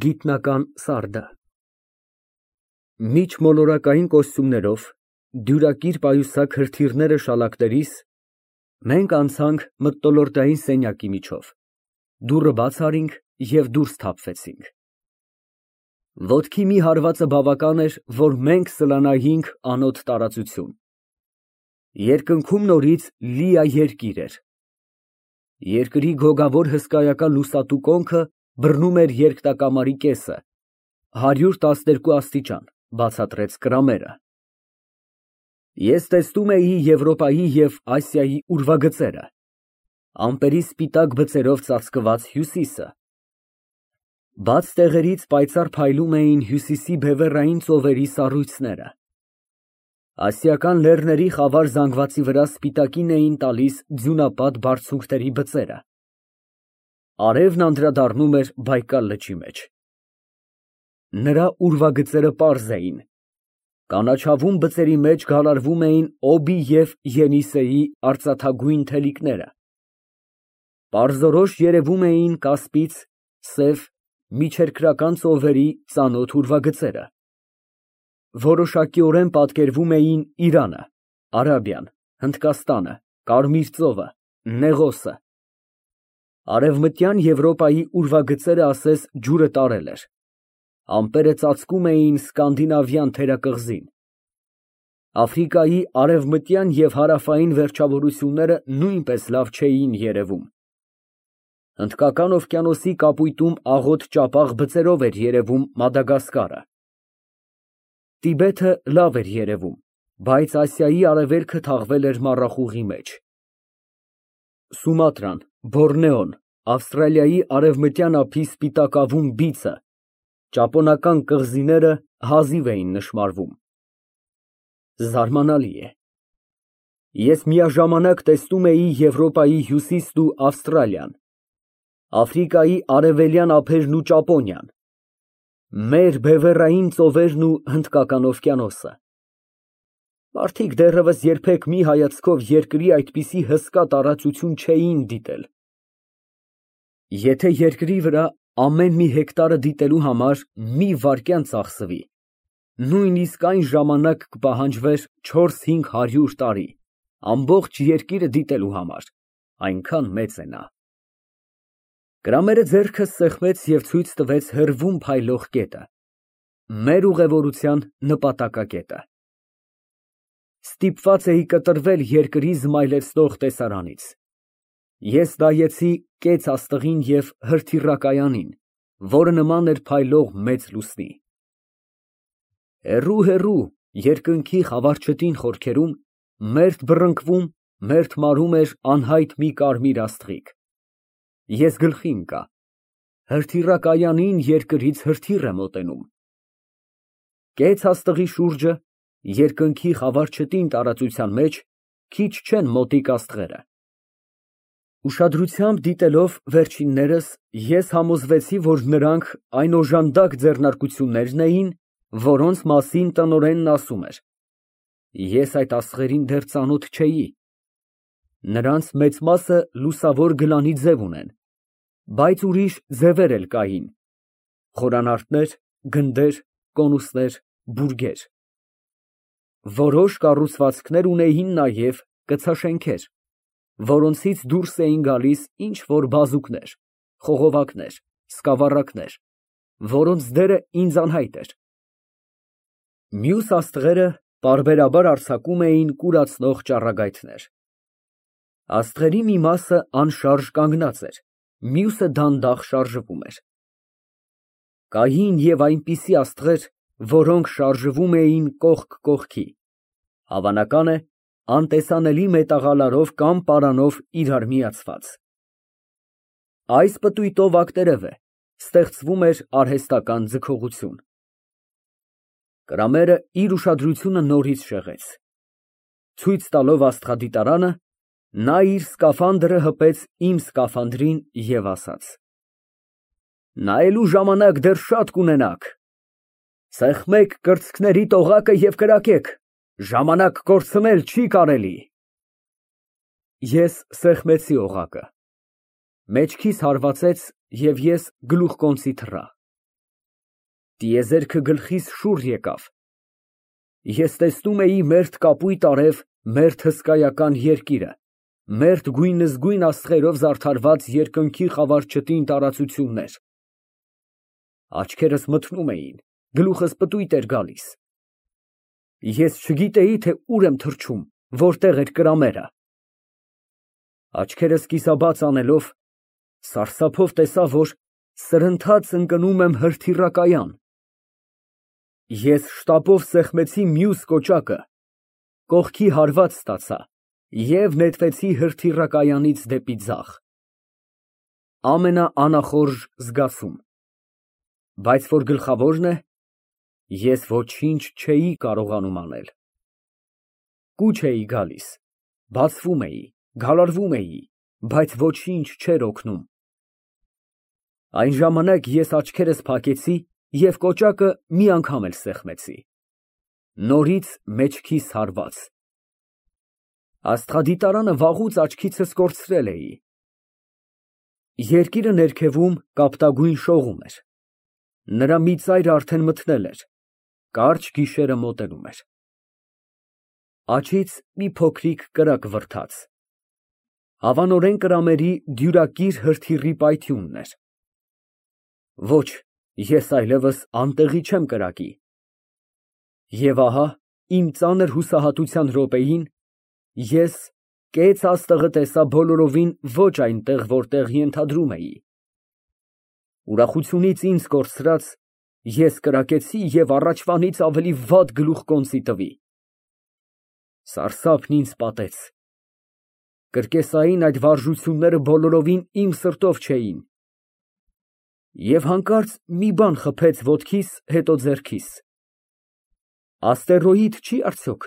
Գիտնական սարդը Միջմոլորակային կոստյումներով, դյուրակիր պայուսակ հրթիռները շալակներիս, մենք անցանք մթնոլորտային սենյակի միջով, դուռը բաց արինք և դուրս թափվեցինք։ Ոտքի մի հարվածը բավական էր, որ մենք սլանայինք անոտ տարածություն։ Երկնքում նորից լիա երկիր էր։ Երկրի գոգավոր հսկայական լուսատու կոնքը բռնում էր երկնակամարի կեսը, 112 աստիճան, բացատրեց կրամերը։ Ես տեսնում էի Եվրոպայի և Ասիայի ուրվագծերը, ամպերի սպիտակ բծերով ծածկված Հյուսիսը։ Բաց տեղերից պայծառ փայլում էին Հյուսիսի բևեռային ծովերի սառույցները։ Ասիական լեռների խավար զանգվածի վրա սպիտակին էին տալիս ձյունապատ բարձունքների բծերը։ Արևն անդրադառնում էր Բայկալ լճի մեջ։ Նրա ուրվագծերը պարզ էին։ Կանաչավուն բծերի մեջ գալարվում էին Օբի և Ենիսեի արծաթագույն թելիկները։ Պարզորոշ երևում էին Կասպից, Սև, Միջերկրական ծովերի ծանոթ ուրվագծերը։ Որոշակիորեն պատկերվում էին Իրանը, Արաբիան, Հնդկաստանը, Կարմիր ծովը, Նեղոսը։ Արևմտյան Եվրոպայի ուրվագծերը ասես ջուրը տարել էր։ Ամպերը ծածկում էին Սկանդինավյան թերակղզին։ Աֆրիկայի արևմտյան և հարավային վերջավորությունները նույնպես լավ չէին երևում։ Հնդկական օվկիանոսի կապույտում աղոտ ճապաղ բծերով էր երևում Մադագասկարը։ Տիբեթը լավ էր երևում, բայց Ասիայի արևելքը թաղվել էր մառախուղի մեջ։ Սումատրան, Բորնեոն, Ավստրալիայի արևմտյան ափի սպիտակավուն բիցը, ճապոնական կղզիները հազիվ էին նշմարվում։ Զարմանալի է։ Ես միաժամանակ տեսնում էի Եվրոպայի հյուսիսն ու Ավստրալիան, Աֆրիկայի արևելյան ափերն ու Ճապոնիան, մեր բևեռային ծովերն ու Հնդկական օվկիանոսը։ Մարդիկ դեռևս երբեք մի հայացքով երկրի այդպիսի հսկա տարածություն չէին դիտել։ Եթե երկրի վրա ամեն մի հեկտարը դիտելու համար մի վայրկյան ծախսվի, նույնիսկ այն ժամանակ կպահանջվեր 400-500 տարի, ամբողջ երկիրը դիտելու համար, այնքան մեծ է նա։ Կրամերը ձեռքս սեղմեց և ցույց տվեց հեռվում փայլող կետը, մեր ուղևորության նպատակակետը։ Ստիպված էի կտրվել երկրի զմայլեցնող տեսարանից։ Ես նայեցի կեց աստղին և հրթիռակայանին, որը նման էր փայլող մեծ լուսնի։ Հեռու, երկնքի խավարչտին խորքերում, մերթ բռնկվում, մերթ մարում էր անհայտ մի կարմիր աստղիկ։ Ես գլխի ընկա։ Հրթիռակայանին երկրից հրթիռ է մոտենում։ Կեց աստղի շուրջը, երկնքի խավարչտին տարածության մեջ, քիչ չեն մոտիկ աստղերը։ Ուշադրությամբ դիտելով վերջիններս, ես համոզվեցի, որ նրանք այն օժանդակ ձեռնարկություններն էին, որոնց մասին տնօրենն ասում էր։ Ես այդ աստղերին դեռ ծանոթ չէի։ Նրանց մեծ մասը լուսավոր գլանի ձև ունեն, բայց ուրիշ ձևեր էլ կային՝ խորանարդներ, գնդեր, կոնուսներ, բուրգեր։ Որոշ կառուցվածքներ ունեին նաև կցաշենքեր, որոնցից դուրս էին գալիս ինչ֊որ բազուկներ, խողովակներ, սկավառակներ, որոնց դերը ինձ անհայտ էր։ Մյուս աստղերը պարբերաբար արձակում էին կուրացնող ճառագայթներ։ Աստղերի մի մասը անշարժ կանգնած էր, մյուսը դանդաղ շարժվում էր։ Կային և այնպիսի աստղեր, որոնք շարժվում էին կողք կողքի, հավանական է, անտեսանելի մետաղալարով կամ պարանով իրար միացված։ Այս պտույտով ակտերև է, ստեղծվում էր արհեստական ձգողություն։ Կրամերը իր ուշադրությունը նորից շեղեց։ Ցույց տալով աստղադիտարանը, նա իր սկաֆանդրը հպեց իմ սկաֆանդրին և ասաց. Նայելու ժամանակ դեռ շատ կունենաք։ Սեղմեք կրծքներիդ օղակը և կրակեք, ժամանակ կորցնել չի կարելի։ Ես սեղմեցի օղակը։ Մեջքիս հարվածեց և ես գլուխկոնցի թռա։ Տիեզերքը գլխիս շուռ եկավ։ Ես տեսնում էի մերթ կապույտ արև, մերթ հսկայական երկիրը, մերթ գույնզգույն աստղերով զարդարված երկնքի խավար չտին տարածություններ։ Աչքերս մթնում էին, գլուխս պտույտ էր գալիս։ Ես չգիտեի, թե ուր եմ թռչում, որտեղ էր կրամերը։ Աչքերս կիսաբաց անելով, սարսափով տեսա, որ սրընթաց ընկնում եմ հրթիռակայան։ Ես շտապով սեղմեցի մյուս կոճակը, կողքի հարված ստացա և նետվեցի հրթիռակայանից դեպի ձախ։ Ամենաանախորժ զգացում։ Բայց որ գլխավորն է, ես ոչինչ չէի կարողանում անել։ Կուչ էի գալիս, բացվում էի, գալարվում էի, բայց ոչինչ չէր օգնում։ Այն ժամանակ ես աչքերս փակեցի և կոճակը մի անգամ էլ սեղմեցի։ Նորից մեջքիս հարված։ Աստղադիտարանը վաղուց աչքիցս կորցրել էի։ Երկիրը ներքևում կապտագույն շողում էր։ Նրա մի ծայրը արդեն մթնել էր, կարճ գիշերը մոտենում էր։ Աջից մի փոքրիկ կրակ վրդաց։ Հավանորեն կրամերի դյուրակիր հրթիռի պայթյունն էր։ Ոչ, ես այլևս անտեղի չեմ կրակի։ Եվ ահա, իմ ծանր հուսահատության րոպեին, ես կեց աստղը տեսա բոլորովին ոչ այնտեղ, որտեղ ենթադրում էի։ Ուրախությունից ինձ կորցրած, ես կրակեցի և առաջվանից ավելի վատ գլուխկոնծի տվի։ Սարսափն ինձ պատեց։ Կրկեսային այդ վարժությունները բոլորովին իմ սրտով չէին։ Եվ հանկարծ մի բան խփեց ոտքիս, հետո ձեռքիս։ Աստերոիդ չի արդյոք։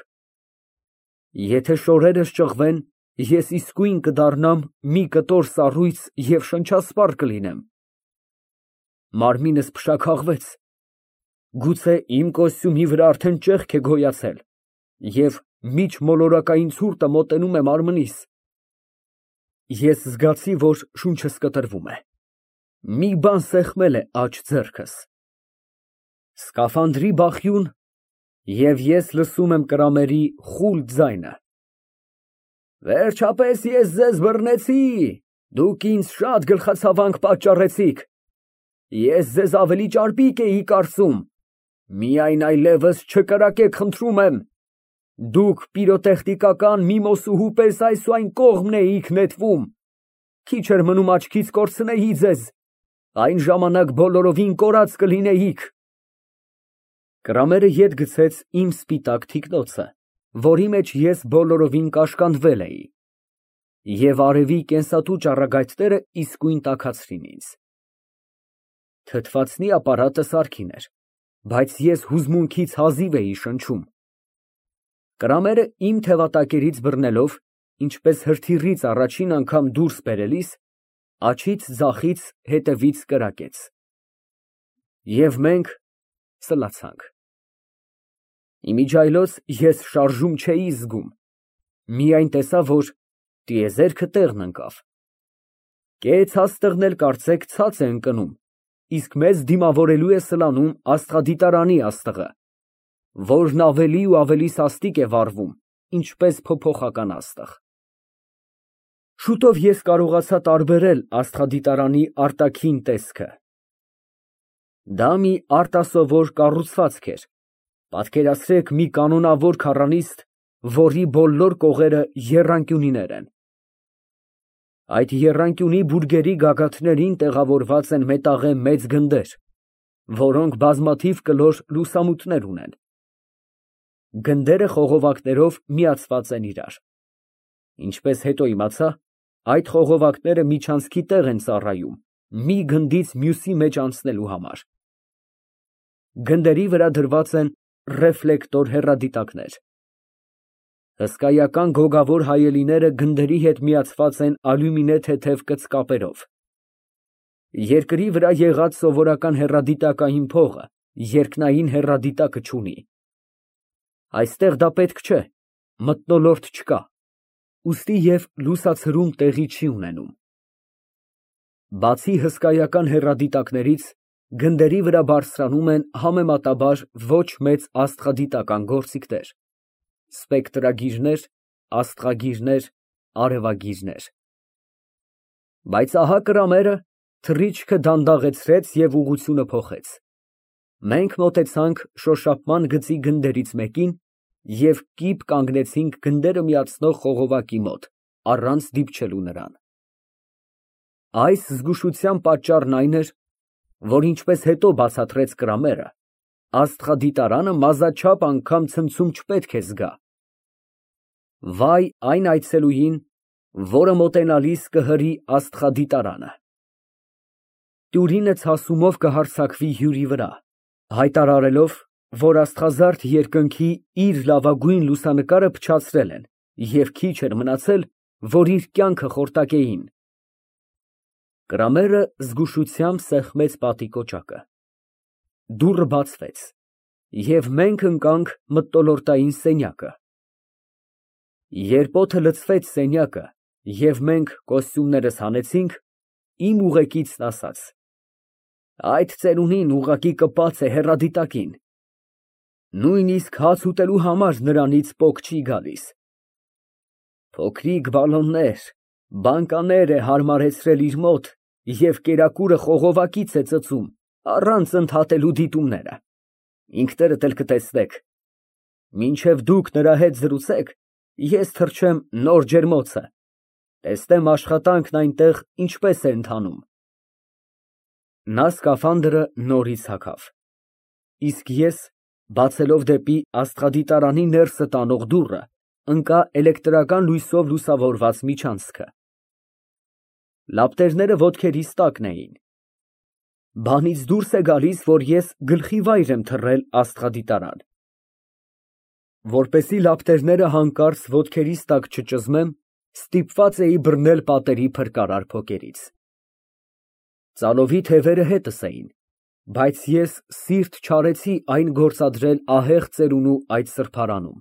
Եթե շորերս ճղվեն, ես իսկույն կդառնամ մի կտոր սառույց և շնչասպառ կլինեմ։ Մարմինս փշաքաղվեց։ Գուցե իմ կոստյումի վրա արդեն ճեղք է գոյացել, և միջմոլորակային ցուրտը մոտենում է մարմնիս։ Ես զգացի, որ շունչս կտրվում է։ Մի բան սեղմել է աջ ձեռքս։ Սկաֆանդրի բախյուն, և ես լսում եմ կրամերի խուլ ձայնը. Վերջապես ես ձեզ բռնեցի, դուք ինձ շատ գլխացավանք պատճառեցիք, ես ձեզ ավելի ճարպիկ էի կարծում, միայն այլևս չկրակեք, խնդրում եմ, դուք պիրոտեխնիկական միմոսուհու պես այս ու այն կողմն էիք նետվում, քիչ էր մնում աչքից կորցնեի ձեզ, այն ժամանակ բոլորովին կորած կլինեիք։ Կրամերը ետ գցեց իմ սպիտակ թիկնոցը, որի մեջ ես բոլորովին կաշկանդվել էի, և արևի կենսատու ճառագայթները իսկույն տաքացրին ինձ։ Թթվածնի ապարատը սարքին էր, բայց ես հուզմունքից հազիվ էի շնչում։ Կրամերը իմ թևատակերից բռնելով, ինչպես հրթիռից առաջին անգամ դուրս բերելիս, աջից ձախից հետևից կրակեց։ Եվ մենք սլացանք։ Իմիջիայլոց ես շարժում չէի զգում, միայն տեսա, որ տիեզերքը տեղն ընկավ։ Կեց աստղն էլ կարծեք ցած է ընկնում, իսկ մեզ դիմավորելու է սլանում աստղադիտարանի աստղը, որն ավելի ու ավելի սաստիկ է վառվում, ինչպես փոփոխական աստղ։ Շուտով ես կարողացա տարբերել աստղադիտարանի արտաքին տեսքը։ Դա մի արտասովոր կառուցվածք էր, պատկերացրեք մի կանոնավոր քառանիստ, որի բոլոր կողերը եռանկյունիներ են։ Այդ եռանկյունի բուրգերի գագաթներին տեղավորված են մետաղե մեծ գնդեր, որոնք բազմաթիվ կլոր լուսամուտներ ունեն։ Գնդերը խողովակներով միացված են իրար։ Ինչպես հետո իմացա, այդ խողովակները միջանցքի տեղ են ծառայում, մի գնդից մյուսի մեջ անցնելու համար։ Գնդերի վրա դրված են ռեֆլեկտոր հեռադիտակներ։ Հսկայական գոգավոր հայելիները գնդերի հետ միացված են ալյումինե թեթև կծկապերով։ Երկրի վրա եղած սովորական հեռադիտակային փողը երկնային հեռադիտակը չունի։ Այստեղ դա պետք չէ, մթնոլորտ չկա, ուստի և լուսացրում տեղի չի ունենում։ Բացի հսկայական հեռադիտակներից, Գնդերի վրա բարձրանում են համեմատաբար ոչ մեծ աստղադիտական գործիքներ, սպեկտրագիրներ, աստղագիրներ, արևագիրներ։ Բայց ահա կրամերը թռիչքը դանդաղեցրեց և ուղղությունը փոխեց։ Մենք մոտեցանք շոշափման գծի գնդերից մեկին և կիպ կանգնեցինք գնդերը միացնող խողովակի մոտ, առանց դիպչելու նրան։ Այս զգուշության պատճառն այն էր, որ ինչպես հետո բացատրեց կրամերը, աստղադիտարանը մազաչափ անգամ ցնցում չպետք է զգա։ Վայ այն այցելուին, որը մոտենալիս կհրի աստղադիտարանը։ Տյուրինը ցասումով կհարձակվի հյուրի վրա, հայտարարելով, որ աստղազարդ երկնքի իր լավագույն լուսանկարը փչացրել են և քիչ էր մնացել, որ իր կյանքը խորտակեին։ Կրամերը զգուշությամբ սեղմեց պատի կոճակը։ Դուռը բացվեց, և մենք ընկանք մթնոլորտային սենյակը։ Երբ օդը լցվեց սենյակը, և մենք կոստյումներս հանեցինք, իմ ուղեկիցն ասաց. այդ ծերունին ուղղակի կպած է հեռադիտակին, նույնիսկ հաց ուտելու համար նրանից պոկ չի գալիս։ Փոքրիկ բալոններ, բանկաներ է հարմարեցրել իր մոտ և կերակուրը խողովակից է ծծում, առանց ընդհատելու դիտումները, ինքներդ էլ կտեսնեք։ Մինչև դուք նրա հետ զրուցեք, ես թռչեմ նոր ջերմոցը, տեսնեմ աշխատանքն այնտեղ ինչպես է ընթանում։ Նա սկաֆանդրը նորից հագավ, իսկ ես, բացելով դեպի աստղադիտարանի ներսը տանող դուռը, ընկա էլեկտրական լույսով լուսավորված միջանցքը։ Լապտերները ոտքերիս տակն էին։ Բանից դուրս է գալիս, որ ես գլխիվայր եմ թռել աստղադիտարան։ Որպեսզի լապտերները հանկարծ ոտքերիս տակ չճզմեմ, ստիպված էի բռնել պատերի փրկարար փոկերից։ Ծալովի թևերը հետս էին, բայց ես սիրտ չարեցի այն գործադրել ահեղ ծերունու այդ սրբարանում։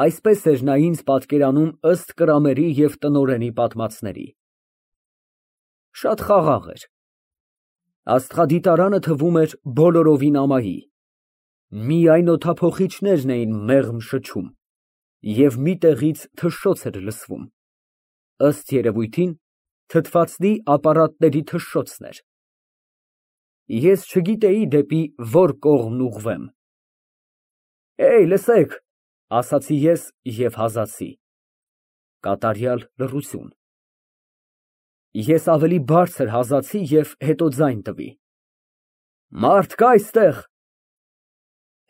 Այսպես էր նա ինձ պատկերանում ըստ կրամերի և տնօրենի պատմածների։ Շատ խաղաղ էր։ Աստղադիտարանը թվում էր բոլորովին ամայի, միայն օդափոխիչներն էին մեղմ շչում, և մի տեղից թշշոց էր լսվում, ըստ երևույթին, թթվածնի ապարատների թշշոցն էր։ Ես չգիտեի դեպի որ կողմն ուղղվեմ։ Լսեք, ասացի ես և հազացի։ Կատարյալ լռություն։ Ես ավելի բարձր հազացի և հետո ձայն տվի. Մարդ կա այստեղ։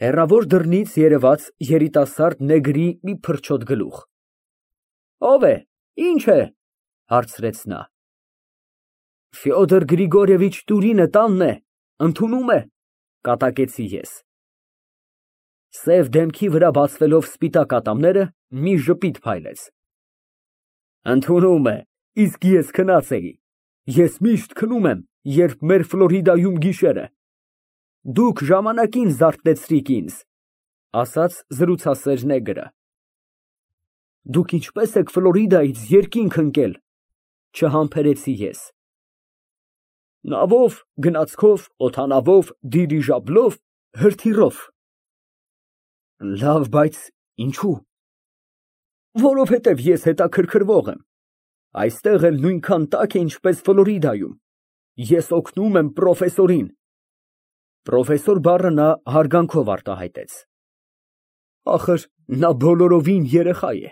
Հեռավոր դռնից երևաց երիտասարդ նեգրի մի փրչոտ գլուխ։ Ո՞վ է, ի՞նչ է, հարցրեց նա։ Ֆյոդոր Գրիգորիևիչ Տուրինը տանն է, ընդունում է, կատակեցի ես։ Սև դեմքի վրա բացվելով սպիտակ ատամները, մի ժպիտ փայլեց։ Ընդունում է, իսկ ես քնած էի։ Ես միշտ քնում եմ, երբ մեր Ֆլորիդայում գիշեր է։ Դուք ժամանակին զարթնեցրիք ինձ, ասաց զրուցասեր նեգրը։ Դուք ինչպես եք Ֆլորիդայից երկինք ընկել, չհամբերեցի ես։ Նավով, գնացքով, օդանավով, դիրիժաբլով, հրթիռով։ Լավ, բայց ինչու։ Որովհետև ես հետաքրքրվող եմ։ Այստեղ էլ նույնքան տաք է, ինչպես Ֆլորիդայում։ Ես օգնում եմ պրոֆեսորին։ Պրոֆեսոր բառը նա հարգանքով արտահայտեց։ Ախր նա բոլորովին երեխա է։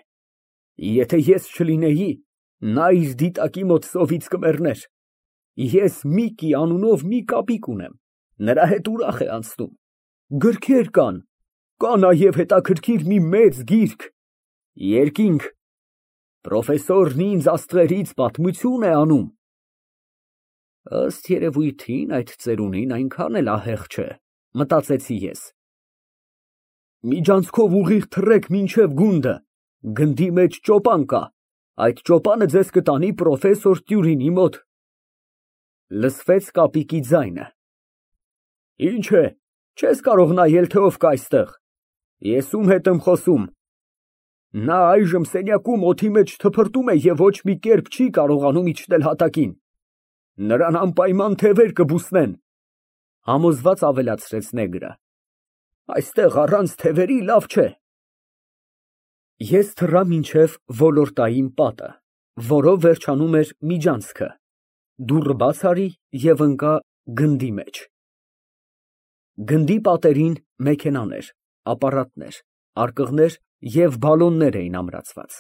Եթե ես չլինեի, նա իր դիտակի մոտ սովից կմեռներ։ Ես Միկի անունով մի կապիկ ունեմ, նրա հետ ուրախ է անցնում։ Գրքեր կան, կա նաև հետաքրքիր մի մեծ գիրք, երկինք։ Պրոֆեսորն ինձ աստղերից պատմություն է անում։ Ըստ երևույթին այդ ծերունին այնքան էլ ահեղ չէ, մտածեցի ես։ Միջանցքով ուղիղ թռեք մինչև գունդը, գնդի մեջ ճոպան կա, այդ ճոպանը ձեզ կտանի պրոֆեսոր Տյուրինի մոտ։ Լսվեց կապիկի ձայնը։ Ինչ է, չես կարող նայել, թե ով կա այստեղ։ Ես ում հետ եմ խոսում։ Նա այժմ սենյակում օդի մեջ թփրտում է և ոչ մի կերպ չի կարողանում իջնել հատակին։ Նրան անպայման թևեր կբուսնեն, Համոզված ավելացրեց նեգրը։ Այստեղ առանց թևերի լավ չէ։ Ես թռա մինչև ոլորտային պատը, որով վերջանում էր միջանցքը, դուռը բաց արի և ընկա գնդի մեջ։ Գնդի պատերին մեքենաներ, ապարատներ, արկղներ և բալոններ էին ամրացված։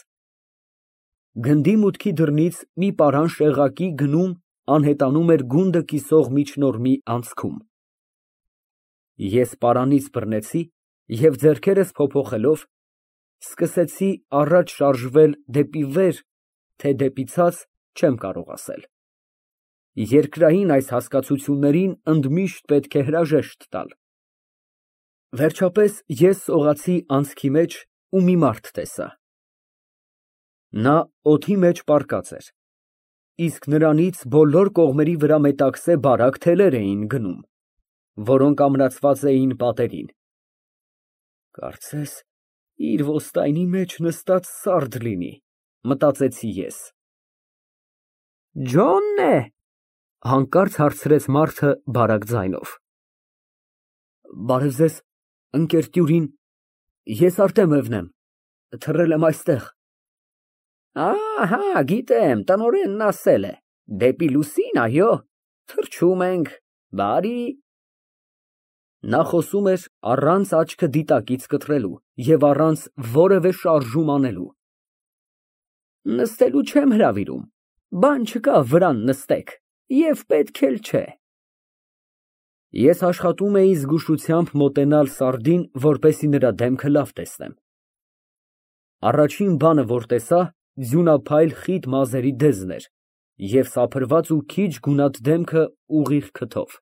Գնդի մուտքի դռնից մի պարան շեղակի գնում անհետանում էր գունդը կիսող միջնորմի անցքում։ Ես պարանից բռնեցի և ձեռքերս փոփոխելով սկսեցի առաջ շարժվել դեպի վեր, թե դեպի ցած, չեմ կարող ասել։ Երկրային այս հասկացություններին ընդմիշտ պետք է հրաժեշտ տալ։ Վերջապես ես սողացի անցքի մեջ ու մի մարդ տեսա։ Նա օդի մեջ պառկած էր, իսկ նրանից բոլոր կողմերի վրա մետաքսե բարակ թելեր էին գնում, որոնք ամրացված էին պատերին։ Կարծես իր ոստայնի մեջ նստած սարդ լինի, մտածեցի ես։ Ջո՞նն է, հանկարծ հարցրեց մարդը բարակ ձայնով։ Բարև ձեզ, ընկեր Տյուրին, ես Արտեմևն եմ, թռել եմ այստեղ։ Ահա, գիտեմ, տնօրենն ասել է, դեպի լուսին, այո, թռչում ենք, բարի։ Նա խոսում էր առանց աչքը դիտակից կտրելու և առանց որևէ շարժում անելու։ Նստելու չեմ հրավիրում, բան չկա վրան նստեք, և պետք էլ չէ։ Ես աշխատում էի զգուշությամբ մոտենալ սարդին, որպեսզի նրա դեմքը լավ տեսնեմ։ Առաջին բանը, որ տեսա, ձյունափայլ խիտ մազերի դեզն էր և սափրված ու քիչ գունատ դեմքը ուղիղ քթով։